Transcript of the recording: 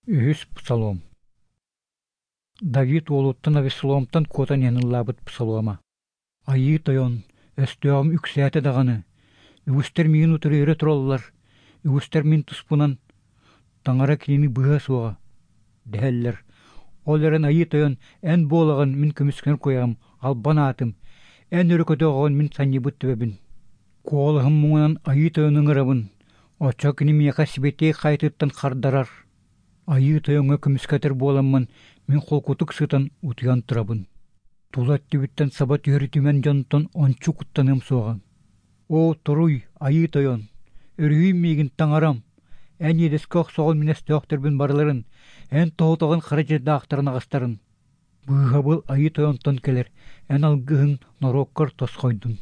Үһүс псалом. Давид уолуттан Авессаломтан куотан иһэн ыллаабыт псалома. Айыы Тойон, өстөөҕүм үксээтэ даҕаны, үгүстэр миигин утары өрө тураллар, үгүстэр мин туспунан Таҥара кинини быыһа суоҕа, дэһэллэр. Ол эрэн Айыы Тойон, эн буолаҕын мин көмүскэнэр куйаҕым, албан аатым, эн өрө көтөҕөҕүн мин санньыйбыт төбөбүн. Куолаһым муҥунан Айыы Тойону ыҥырабын, оччо кини миэхэ сибэтиэй хайатыттан хардарар. Айыы Тойоҥҥо көмүскэтэр буоламмын, мин холкутук сытан утуйан турабын. Тула өттүбүттэн саба түһэр үтүмэн дьонтон ончу куттаныам суоҕа. Оо, туруй, Айыы Тойон, өрүһүй миигин таҥарам, эн иэдэскэ охсоҕун мин өстөөхтөрбүн барыларын, эн тоһутаҕын хара дьайдаахтарын аҕастарын. Быыһабыл Айыы Тойонтон кэлэр, эн алгыһыҥ норуоккар тосхойдун.